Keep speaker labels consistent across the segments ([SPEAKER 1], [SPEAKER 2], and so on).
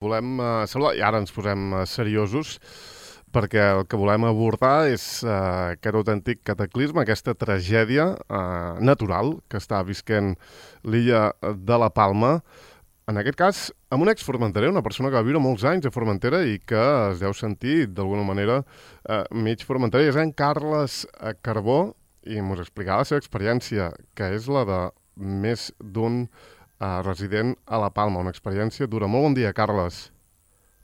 [SPEAKER 1] Volem saludar, i ara ens posem seriosos, perquè el que volem abordar és aquest autèntic cataclisme, aquesta tragèdia natural que està visquent l'illa de la Palma. En aquest cas, amb un ex-formenterer, una persona que va viure molts anys a Formentera i que es deu sentir, d'alguna manera, mig formenterer. És en Carles Carbó, i ens explicarà la seva experiència, que és la de més d'un resident a la Palma. Una experiència dura. Molt bon dia, Carles.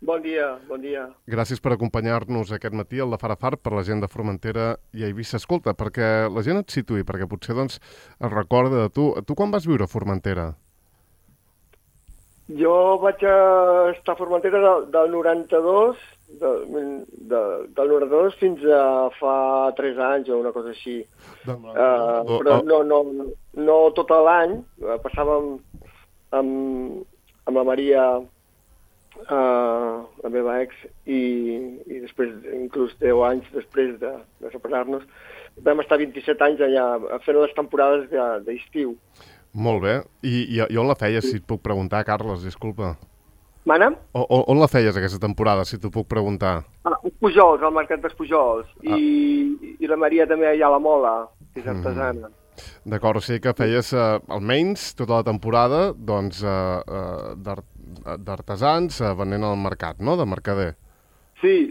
[SPEAKER 2] Bon dia, bon dia.
[SPEAKER 1] Gràcies per acompanyar-nos aquest matí al de Far a Far per la gent de Formentera i Eivissa. Escolta, perquè la gent et situï, perquè potser doncs, es recorda de tu. Tu quan vas viure a Formentera?
[SPEAKER 2] Jo vaig estar a Formentera del 92, del 92 fins a fa 3 anys o una cosa així. Però no tot l'any. Passàvem amb la Maria, la meva ex, i després, inclús 10 anys després de separar-nos, vam estar 27 anys allà fent les temporades d'estiu.
[SPEAKER 1] Molt bé. I on la feies, si et puc preguntar, Carles? Disculpa.
[SPEAKER 2] Mana?
[SPEAKER 1] On la feies, aquesta temporada, si t'ho puc preguntar?
[SPEAKER 2] Els Pujols, al Mercat dels Pujols. I la Maria també allà a la Mola, que és artesana.
[SPEAKER 1] D'acord, o sigui que feies almenys tota la temporada doncs, d'artesans venent al mercat, no?, de mercader.
[SPEAKER 2] Sí.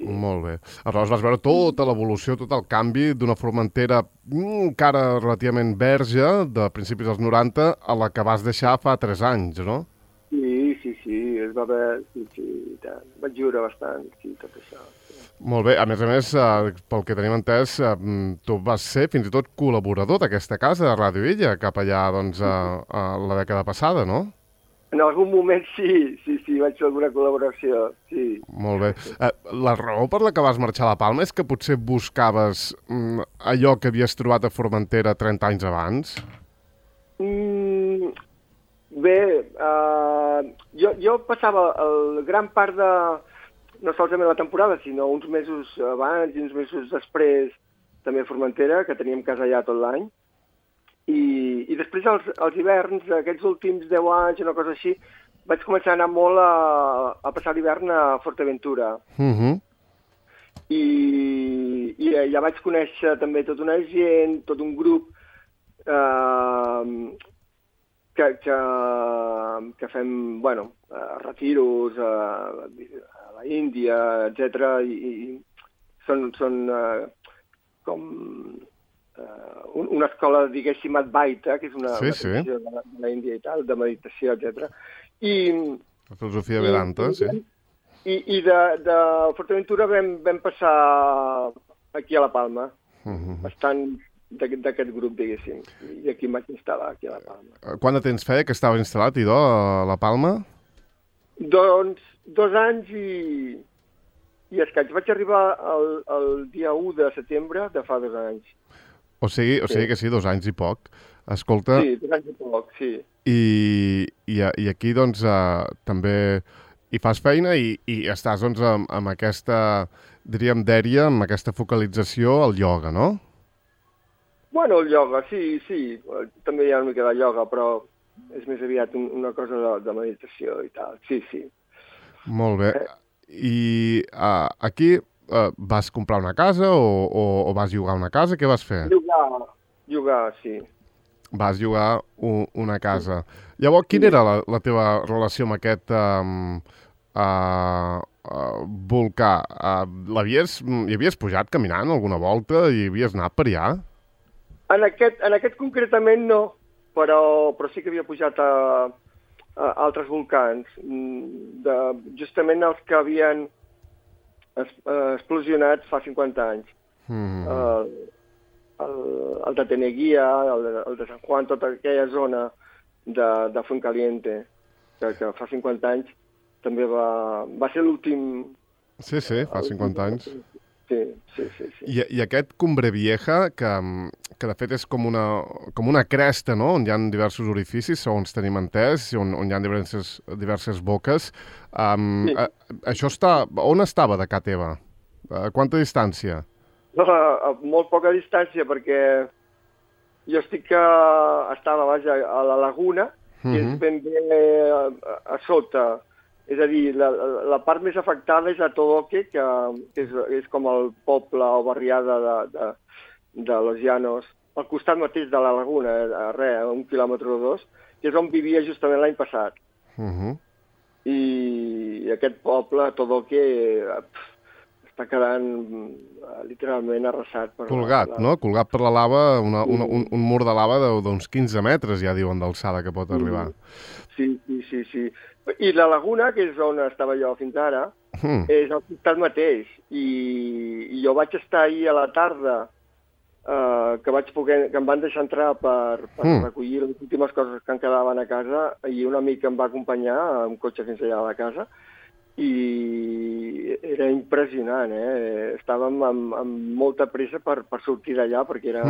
[SPEAKER 1] Molt bé. Aleshores vas veure tota l'evolució, tot el canvi d'una Formentera encara relativament verge, de principis dels 90, a la que vas deixar fa 3 anys, no?
[SPEAKER 2] Sí, es va veure, sí, tant. Vaig viure bastant, sí, tot això. Sí.
[SPEAKER 1] Molt bé, a més, pel que tenim entès, tu vas ser fins i tot col·laborador d'aquesta casa de Ràdio Illa, cap allà, doncs, a la dècada passada, no?
[SPEAKER 2] En algun moment sí, vaig fer alguna col·laboració, sí.
[SPEAKER 1] Molt bé. La raó per la que vas marxar a la Palma és que potser buscaves allò que havies trobat a Formentera 30 anys abans?
[SPEAKER 2] Bé, jo passava gran part de, no solament la temporada, sinó uns mesos abans i uns mesos després també a Formentera, que teníem casa allà tot l'any. I després als hiverns, aquests últims 10 anys, una cosa així, vaig començar a anar molt a passar l'hivern a Forteventura. I allà vaig conèixer també tota una gent, tot un grup que fem, retiros a la Índia, etc. I són com una escola, diguéssim, Advaita, que és una tradició de l'Índia i tal, de meditació, etc.
[SPEAKER 1] La filosofia Vedanta, sí.
[SPEAKER 2] I de Forteventura vam passar aquí a la Palma, bastant d'aquest grup, diguéssim, i aquí em vaig instal·lar, aquí a la Palma.
[SPEAKER 1] Quant de temps feia que estava instal·lat, idò, a la Palma?
[SPEAKER 2] Doncs 2 anys i escaig. Vaig arribar el dia 1 de setembre de fa 2 anys.
[SPEAKER 1] O sigui que sí, 2 anys i poc. Escolta...
[SPEAKER 2] Sí, 2 anys i poc, sí.
[SPEAKER 1] I aquí, doncs, també hi fas feina i estàs, doncs, amb aquesta, diríem, dèria, amb aquesta focalització al ioga, no?
[SPEAKER 2] Bueno, el ioga, sí. També hi ha una mica de ioga, però és més aviat una cosa de meditació i tal. Sí.
[SPEAKER 1] Molt bé. I aquí... vas comprar una casa o vas llogar una casa? Què vas fer?
[SPEAKER 2] Llogar, sí.
[SPEAKER 1] Vas llogar una casa. Llavors, quina era la teva relació amb aquest volcà? Hi havies pujat caminant alguna volta i havies anat per allà?
[SPEAKER 2] En aquest concretament no, però sí que havia pujat a altres volcans, justament els que havien explosionat fa 50 anys. El de Teneguía, el de San Juan, tota aquella zona de Fuencaliente, que fa 50 anys també va ser l'últim...
[SPEAKER 1] Sí, fa 50 anys.
[SPEAKER 2] Sí.
[SPEAKER 1] I aquest Cumbre Vieja, que de fet és com una cresta, no?, on hi ha diversos orificis, segons tenim entès, on hi ha diverses boques. Això on estava de ca teva? A quanta distància?
[SPEAKER 2] A molt poca distància, perquè jo estava a la laguna, i és ben bé a sota És a dir, la part més afectada és a Todoque, que és com el poble o barriada de Los Llanos, al costat mateix de la laguna, a 1 quilòmetre o 2, que és on vivia justament l'any passat. I aquest poble, Todoque, està quedant literalment arrasat.
[SPEAKER 1] Colgat, no? Colgat per la lava, un mur de lava d'uns 15 metres, ja diuen, d'alçada que pot arribar.
[SPEAKER 2] Sí. I la laguna, que és on estava jo fins ara, és al costat mateix. I jo vaig estar ahir a la tarda, que em van deixar entrar per recollir les últimes coses que em quedaven a casa, i un amic em va acompanyar amb cotxe fins allà a la casa, i era impressionant, Estàvem amb molta pressa per sortir d'allà, perquè era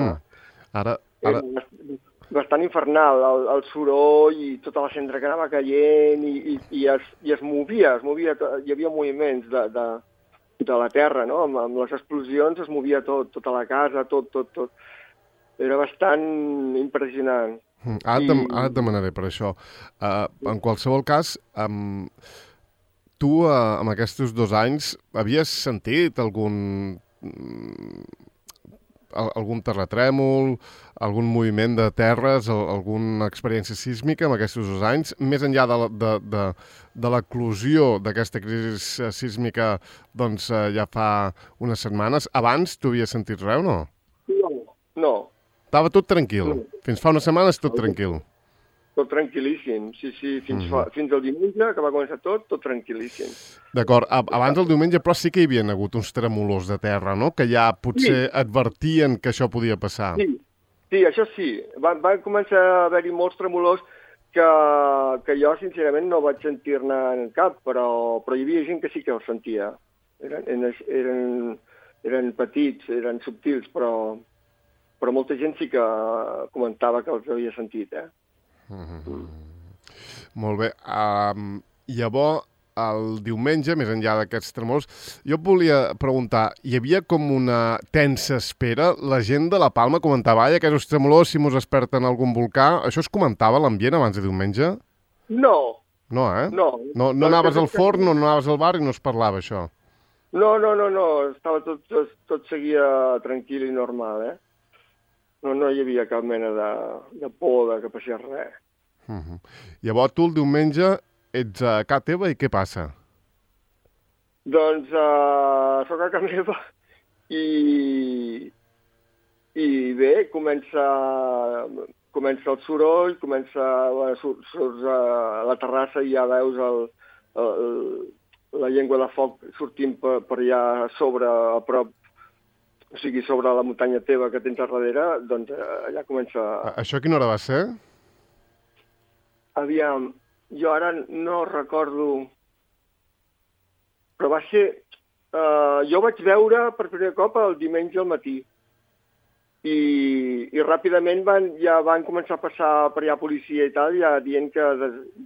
[SPEAKER 2] bastant infernal, el soroll i tota la cendra que anava caient, i es movia, hi havia moviments de la terra, no? Amb les explosions es movia tota la casa, tot. Era bastant impressionant.
[SPEAKER 1] Ara et demanaré per això. En qualsevol cas, tu, amb aquests 2 anys, havies sentit algun terratrèmol, algun moviment de terres, alguna experiència sísmica en aquests 2 anys, més enllà de l'eclosió d'aquesta crisi sísmica, doncs ja fa unes setmanes. Abans tu havies sentit res o no?
[SPEAKER 2] No.
[SPEAKER 1] Estava tot tranquil. Fins fa unes setmanes tot tranquil.
[SPEAKER 2] Tot tranquil·líssim, sí, fins al diumenge, que va començar tot tranquil·líssim.
[SPEAKER 1] D'acord, abans del diumenge, però sí que hi havia hagut uns tremolors de terra, no?, que ja potser advertien que això podia passar.
[SPEAKER 2] Sí, això sí. Van començar a haver-hi molts tremolors que jo, sincerament, no vaig sentir-ne en cap, però hi havia gent que sí que els sentia. Eren petits, eren subtils, però molta gent sí que comentava que els havia sentit,
[SPEAKER 1] Molt bé. Llavors, el diumenge, més enllà d'aquests tremors, jo et volia preguntar, hi havia com una tensa espera? La gent de la Palma comentava, aquests tremolors, si mos desperten algun volcà, això es comentava a l'ambient abans de diumenge?
[SPEAKER 2] No.
[SPEAKER 1] No,
[SPEAKER 2] No.
[SPEAKER 1] No anaves al forn, no anaves al bar i no es parlava, això?
[SPEAKER 2] No. Estava tot seguia tranquil i normal, No hi havia cap mena de por que passés res.
[SPEAKER 1] Llavors tu el diumenge ets a casa teva i què passa?
[SPEAKER 2] Doncs soc a casa meva i bé, comença el soroll, surts a la terrassa i ja veus la llengua de foc sortint per allà sobre, a prop, o sigui, sobre la muntanya teva que tens a darrere, doncs allà comença...
[SPEAKER 1] Això a quina hora va ser?
[SPEAKER 2] Aviam, jo ara no recordo, però va ser... jo vaig veure per primer cop el diumenge al matí i ràpidament ja van començar a passar per allà policia i tal, ja dient que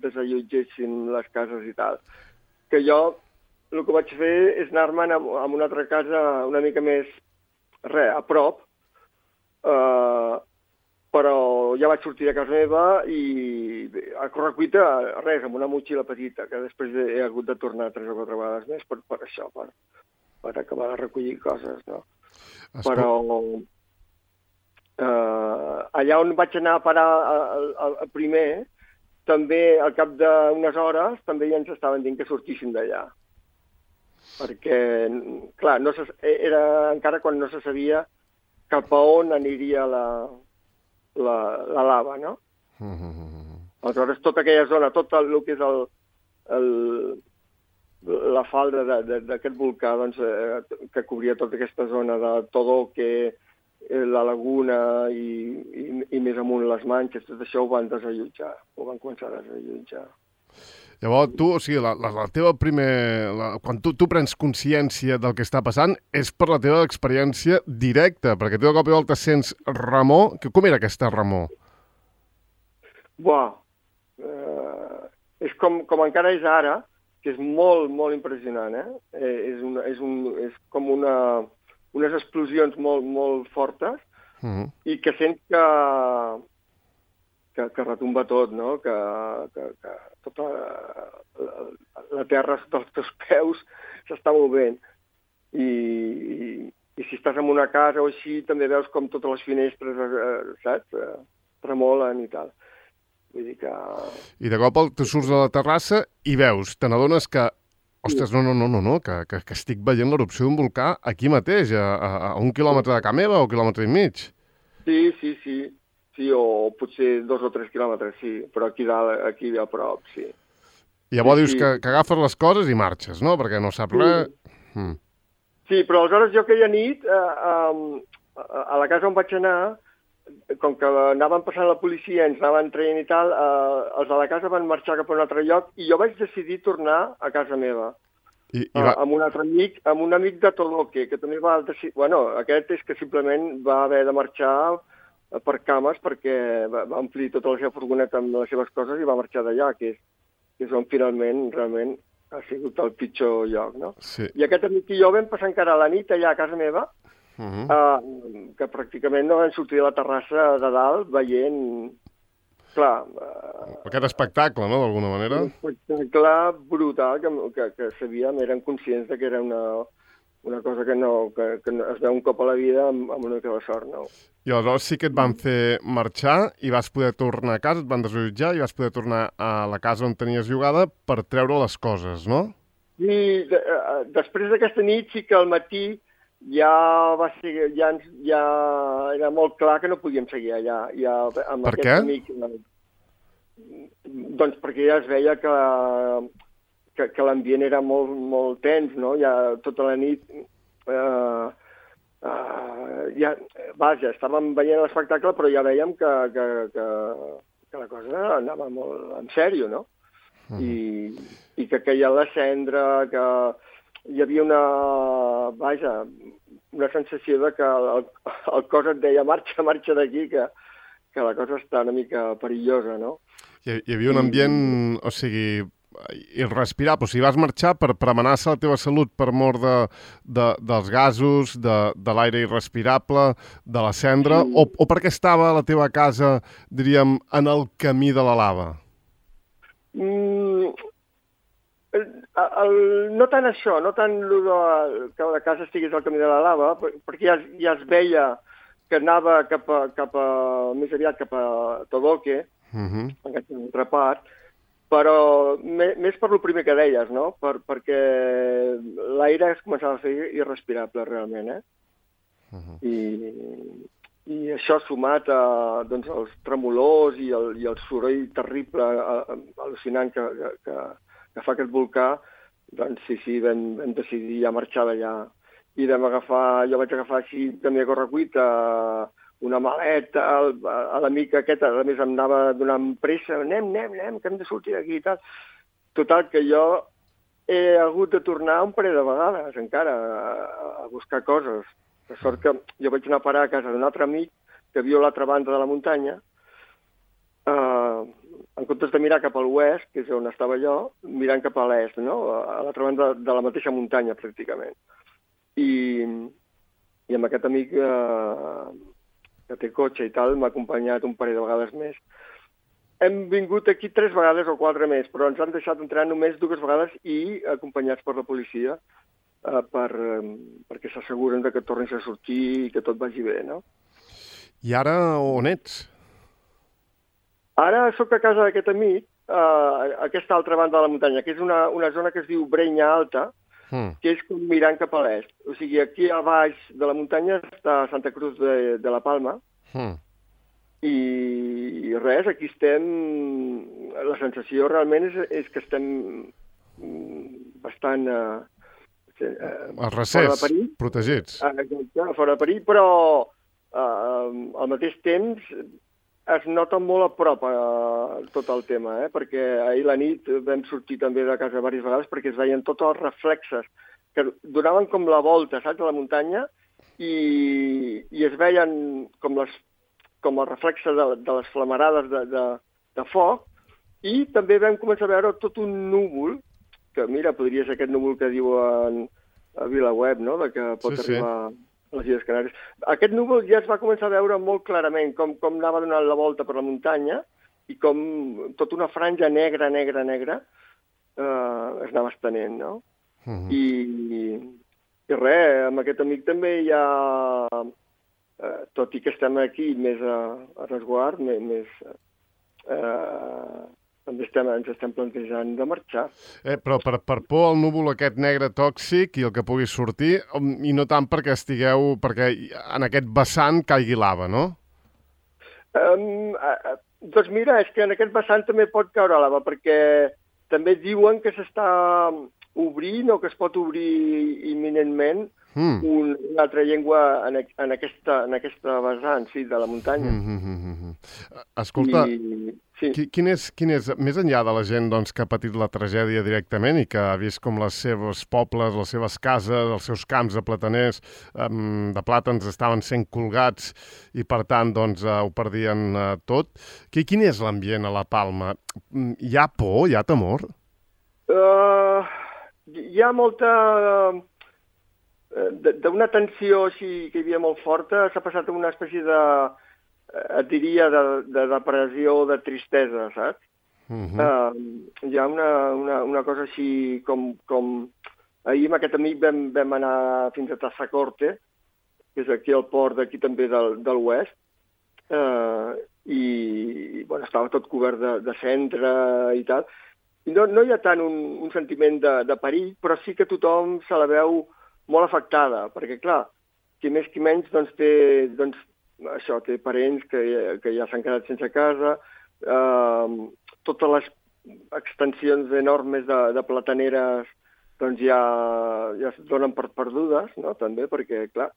[SPEAKER 2] desallotgessin les cases i tal. Que jo el que vaig fer és anar-me'n a una altra casa una mica més a prop, però ja vaig sortir de casa meva i a correcuita, amb una motxilla petita, que després he hagut de tornar 3 o 4 vegades més per això, per acabar de recollir coses, no? Però allà on vaig anar a parar el primer, també al cap d'unes hores, també ja ens estaven dient que sortíssim d'allà. Perquè, clar, era encara quan no se sabia cap a on aniria la lava, no? Aleshores, tota aquella zona, tot el que és la falda d'aquest volcà, doncs, que cobria tota aquesta zona de Todoque, la laguna i més amunt les Manxes, tot això ho van desallotjar, ho van començar a desallotjar.
[SPEAKER 1] Llavors, tu, o sigui, la teva quan tu prens consciència del que està passant és per la teva experiència directa, perquè tu de cop i volta sents remor. Com era aquesta remor?
[SPEAKER 2] És com encara és ara, que és molt, molt impressionant, És com unes explosions molt, molt fortes i que sents que retumba tot, no? Que tota la terra sota els teus peus s'està movent. I si estàs en una casa o així, també veus com totes les finestres, saps? Tremolen i tal. Vull dir que...
[SPEAKER 1] I de cop tu surts a la terrassa i veus, te n'adones que, ostres, no, que estic veient l'erupció d'un volcà aquí mateix, a 1 quilòmetre de casa meva o 1,5 quilòmetres.
[SPEAKER 2] Sí, o potser 2 o 3 quilòmetres, sí, però aquí dalt, aquí a prop, sí.
[SPEAKER 1] I llavors dius que agafes les coses i marxes, no? Perquè no saps res.
[SPEAKER 2] Sí, però aleshores jo aquella nit, a la casa on vaig anar, com que anaven passant la policia, ens anaven traient i tal, els de la casa van marxar cap a un altre lloc i jo vaig decidir tornar a casa meva. Amb un altre amic, amb un amic de Toloque, que també va decidir... Bueno, aquest és que simplement va haver de marxar per cames perquè va omplir tota la seva furgoneta amb les seves coses i va marxar d'allà, que és on finalment, realment, ha sigut el pitjor lloc, no?
[SPEAKER 1] Sí.
[SPEAKER 2] I aquest amic i jo vam passar encara la nit allà a casa meva, que pràcticament no vam sortir de la terrassa de dalt veient, clar...
[SPEAKER 1] Aquest espectacle, no?, d'alguna manera.
[SPEAKER 2] Un espectacle brutal que sabíem, eren conscients de que era una cosa que es veu un cop a la vida amb una mica de sort, no?
[SPEAKER 1] I aleshores sí que et van fer marxar i vas poder tornar a casa, et van desallotjar i vas poder tornar a la casa on tenies llogada per treure les coses, no?
[SPEAKER 2] I després d'aquesta nit sí que al matí ja era molt clar que no podíem seguir allà.
[SPEAKER 1] Per què?
[SPEAKER 2] Doncs perquè ja es veia que l'ambient era molt tens, no? Ja tota la nit... estàvem veient l'espectacle, però ja vèiem que la cosa anava molt en sèrio, no? I que queia la cendra, que hi havia una sensació de que el cos et deia marxa d'aquí, que la cosa està una mica perillosa, no?
[SPEAKER 1] Hi havia un ambient, o sigui, irrespirable. O sigui, vas marxar per amenaçar la teva salut per mort dels gasos, de l'aire irrespirable, de la cendra, o perquè estava la teva casa, diríem, en el camí de la lava?
[SPEAKER 2] No tant això, no tant que la casa estigués al camí de la lava, perquè ja es veia que anava més aviat cap a Todoque, en aquesta altra part, però més per lo primer que deies, no? Perquè l'aire es començava a fer irrespirable, realment, I això sumat als tremolors i el soroll terrible, al·lucinant que fa aquest volcà, doncs sí, vam decidir ja marxar d'allà. I jo vaig agafar així també a correcuita una maleta, a l'amic aquest, a més em anava donant pressa, anem, que hem de sortir d'aquí i tal. Total, que jo he hagut de tornar un parell de vegades encara a buscar coses. De sort que jo vaig anar a parar a casa d'un altre amic que viu a l'altra banda de la muntanya, en comptes de mirar cap a l'oest, que és on estava jo, mirant cap a l'est, no? A l'altra banda de la mateixa muntanya, pràcticament. I amb aquest amic que té cotxe i tal, m'ha acompanyat un parell de vegades més. Hem vingut aquí 3 vegades o 4 més, però ens han deixat entrar només 2 vegades i acompanyats per la policia perquè s'asseguren que tornis a sortir i que tot vagi bé, no?
[SPEAKER 1] I ara on ets?
[SPEAKER 2] Ara sóc a casa d'aquest amic, a aquesta altra banda de la muntanya, que és una zona que es diu Brenya Alta, que és com mirant cap a l'est. O sigui, aquí a baix de la muntanya està Santa Cruz de la Palma, i res, aquí estem... La sensació realment és que estem bastant...
[SPEAKER 1] Els recers, protegits.
[SPEAKER 2] Fora de perill, però al mateix temps es nota molt a prop tot el tema, perquè ahir la nit vam sortir també de casa diverses vegades perquè es veien tots els reflexes que donaven com la volta, saps, a la muntanya i es veien com els reflexes de les flamarades de foc i també vam començar a veure tot un núvol, que mira, podria ser aquest núvol que diuen a VilaWeb, no?, de que pot arribar a les Illes Canàries. Aquest núvol ja es va començar a veure molt clarament com anava donant la volta per la muntanya i com tota una franja negra es anava estenent, no? I res, amb aquest amic també hi ha, tot i que estem aquí més a resguard, també ens estem plantejant de marxar.
[SPEAKER 1] Però per por al núvol aquest negre tòxic i el que pugui sortir, i no tant perquè perquè en aquest vessant caigui lava, no?
[SPEAKER 2] Doncs mira, és que en aquest vessant també pot caure lava, perquè també diuen que s'està obrint o que es pot obrir imminentment una altra llengua en aquesta vessant, sí, de la muntanya.
[SPEAKER 1] Escolta, quin és, més enllà de la gent doncs, que ha patit la tragèdia directament i que ha vist com les seves pobles, les seves cases, els seus camps de plataners, de plàtans estaven sent colgats i per tant doncs, ho perdien tot, quin és l'ambient a la Palma? Hi ha por, hi ha temor?
[SPEAKER 2] Hi ha molta... D'una tensió així que hi havia molt forta, s'ha passat a una espècie de, et diria, de depressió, de tristesa, saps? Hi ha una cosa així com... Ahir amb aquest amic vam anar fins a Tassacorte, que és aquí al port d'aquí també del oest, i bueno, estava tot cobert de cendra i tal. I no hi ha tant un sentiment de perill, però sí que tothom se la veu molt afectada, perquè, clar, qui més qui menys doncs, té parents que ja s'han quedat sense casa, totes les extensions enormes de plataneres doncs, ja es donen per perdudes, no? També, perquè, clar,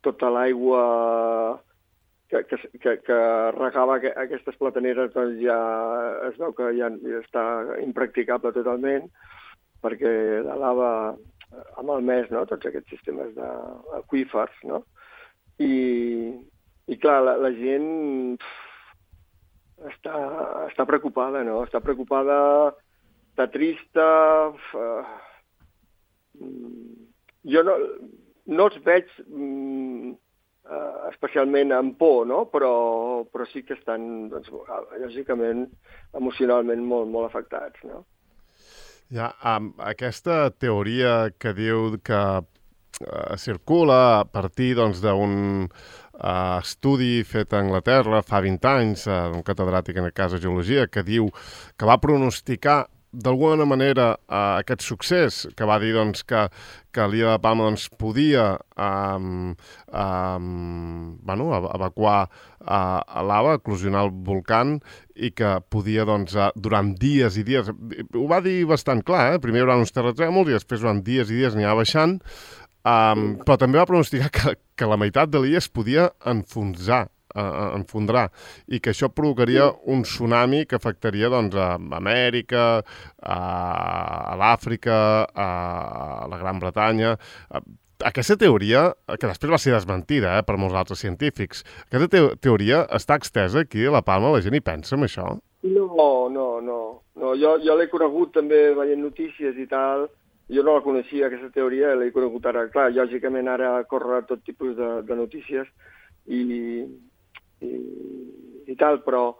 [SPEAKER 2] tota l'aigua que regava aquestes plataneres doncs, ja es veu que ja està impracticable totalment, perquè la lava ha malmès, no?, tots aquests sistemes d'aqüífers, no? I clar, la gent està preocupada, no? Està preocupada, està trista. Jo no els veig especialment amb por, no? Però sí que estan, doncs, lògicament, emocionalment molt afectats, no?
[SPEAKER 1] Ja, aquesta teoria que diu que circula a partir doncs, d'un estudi fet a Anglaterra fa 20 anys, d'un catedràtic en el cas de geologia, que diu que va pronosticar d'alguna manera aquest succés, que va dir doncs, que l'illa de Palma doncs, podia evacuar lava, eclosionar el volcán i que podia, doncs, durant dies i dies... Ho va dir bastant clar, primer hi haurà uns terratrèmols i després durant dies i dies n'hi va baixant, però també va pronosticar que la meitat de l'illa es podia enfondrar i que això provocaria un tsunami que afectaria doncs, a Amèrica, a l'Àfrica, a la Gran Bretanya. Aquesta teoria, que després va ser desmentida per molts altres científics, aquesta teoria està extesa aquí a la Palma? La gent hi pensa en això?
[SPEAKER 2] No. Jo l'he conegut també veient notícies i tal. Jo no la coneixia, aquesta teoria, l'he conegut ara. Clar, lògicament ara corre tot tipus de notícies i tal, però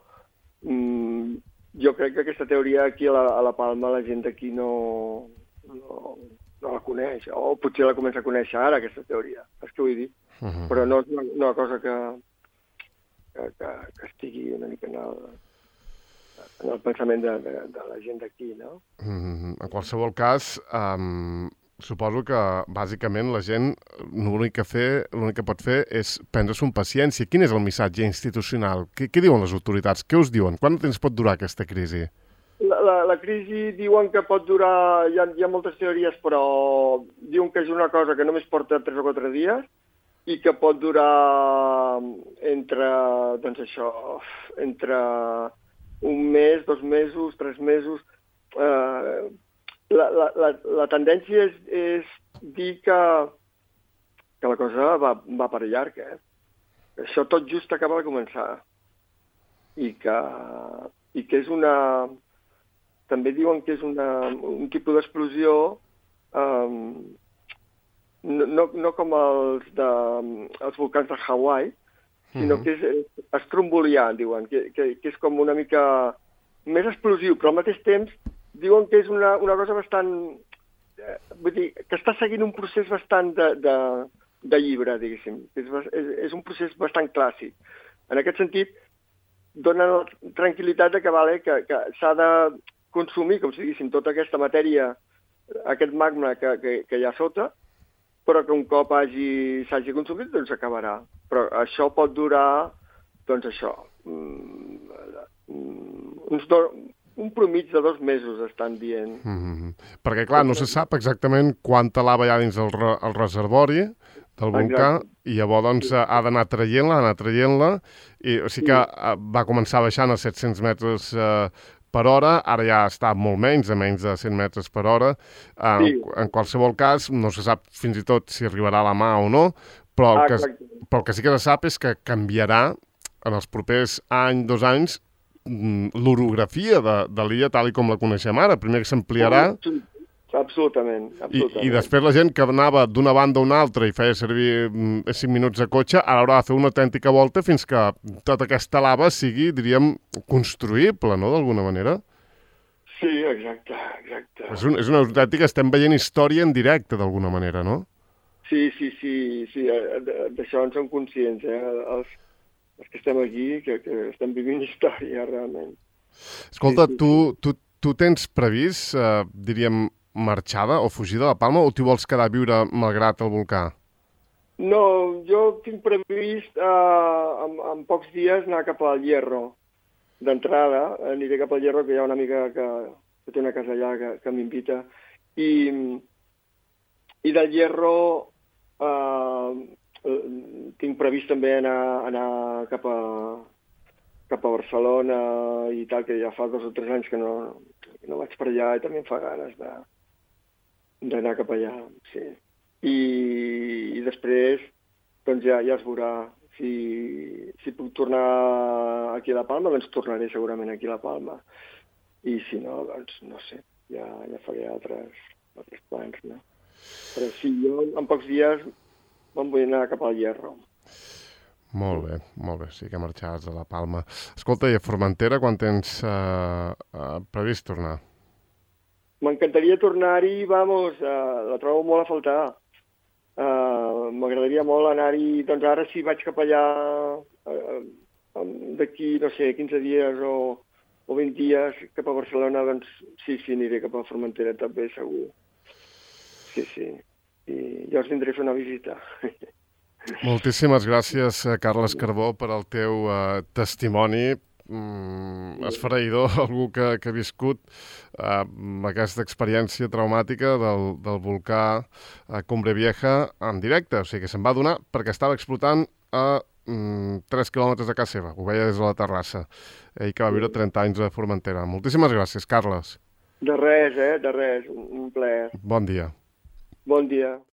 [SPEAKER 2] jo crec que aquesta teoria aquí a la Palma la gent d'aquí no la coneix, o potser la comença a conèixer ara, aquesta teoria, és que vull dir. Però no és una cosa que estigui una mica en el pensament de la gent d'aquí, no?
[SPEAKER 1] En qualsevol cas, suposo que, bàsicament, la gent l'únic que pot fer és prendre-s'ho amb paciència. Quin és el missatge institucional? Què diuen les autoritats? Què us diuen? Quant temps pot durar aquesta crisi?
[SPEAKER 2] La crisi diuen que pot durar... Hi ha moltes teories, però diuen que és una cosa que només porta 3 o 4 dies i que pot durar entre un mes, 2 mesos, 3 mesos... La tendència és dir que la cosa va per llarg, Això tot just acaba de començar. I que és una... També diuen que és un tipus d'explosió no com els volcans de Hawaii, sinó que és estrombolià, diuen, que és com una mica més explosiu, però al mateix temps diuen que és una cosa bastant... vull dir, que està seguint un procés bastant de llibre, diguéssim. És un procés bastant clàssic. En aquest sentit, dona la tranquil·litat de que s'ha de consumir, com si diguéssim, tota aquesta matèria, aquest magma que hi ha sota, però que un cop s'hagi consumit, doncs s'acabarà. Però això pot durar, doncs això, un promig de 2 mesos, estan dient.
[SPEAKER 1] Perquè, clar, no se sap exactament quanta lava hi ha dins el reservori del volcà, i llavors doncs, ha d'anar traient-la, i o sigui que va començar baixant a 700 metres per hora, ara ja està molt menys, a menys de 100 metres per hora. En qualsevol cas, no se sap fins i tot si arribarà a la mà o no, però el que sí que se sap és que canviarà en els propers 2 anys l'orografia de l'illa tal com la coneixem ara. Primer que s'ampliarà.
[SPEAKER 2] Absolutament.
[SPEAKER 1] I després la gent que anava d'una banda a una altra i feia servir 5 minuts de cotxe, ara haurà de fer una autèntica volta fins que tota aquesta lava sigui, diríem, construïble, no?, d'alguna manera.
[SPEAKER 2] Sí, exacte.
[SPEAKER 1] És una autèntica, estem veient història en directe, d'alguna manera, no?
[SPEAKER 2] Sí, d'això en som conscients, els que estem aquí, que estem vivint història, realment.
[SPEAKER 1] Escolta, tu tens previst, diríem, marxada o fugir de la Palma, o t'hi vols quedar a viure malgrat el volcà?
[SPEAKER 2] No, jo tinc previst en pocs dies anar cap al Hierro. D'entrada, aniré cap al Hierro, que hi ha una amiga que té una casa allà que m'invita. I del Hierro tinc previst també anar cap a Barcelona i tal, que ja fa 2 o 3 anys que no vaig per allà i també em fa ganes d'anar cap allà, sí. I després, doncs ja es veurà si puc tornar aquí a La Palma, doncs tornaré segurament aquí a La Palma. I si no, doncs no sé, ja faré altres plans, no? Però sí, jo en pocs dies me'n vull anar cap al Hierro.
[SPEAKER 1] Molt bé, sí que marxaràs a La Palma. Escolta, i a Formentera quan tens previst tornar?
[SPEAKER 2] M'encantaria tornar-hi, la trobo molt a faltar. M'agradaria molt anar-hi, doncs ara si vaig cap allà d'aquí, no sé, 15 dies o 20 dies cap a Barcelona, doncs sí, aniré cap a Formentera també, segur. Sí. I jo us vindré a fer una visita.
[SPEAKER 1] Moltíssimes gràcies, Carles Carbó, per al teu testimoni. Esfereïdor, algú que ha viscut aquesta experiència traumàtica del volcà Cumbre Vieja en directe. O sigui que se'n va adonar perquè estava explotant a 3 quilòmetres de casa seva. Ho veia des de la terrassa. Ell que va viure 30 anys a Formentera. Moltíssimes gràcies, Carles.
[SPEAKER 2] De res, de res. Un plaer.
[SPEAKER 1] Bon dia.
[SPEAKER 2] Bon dia.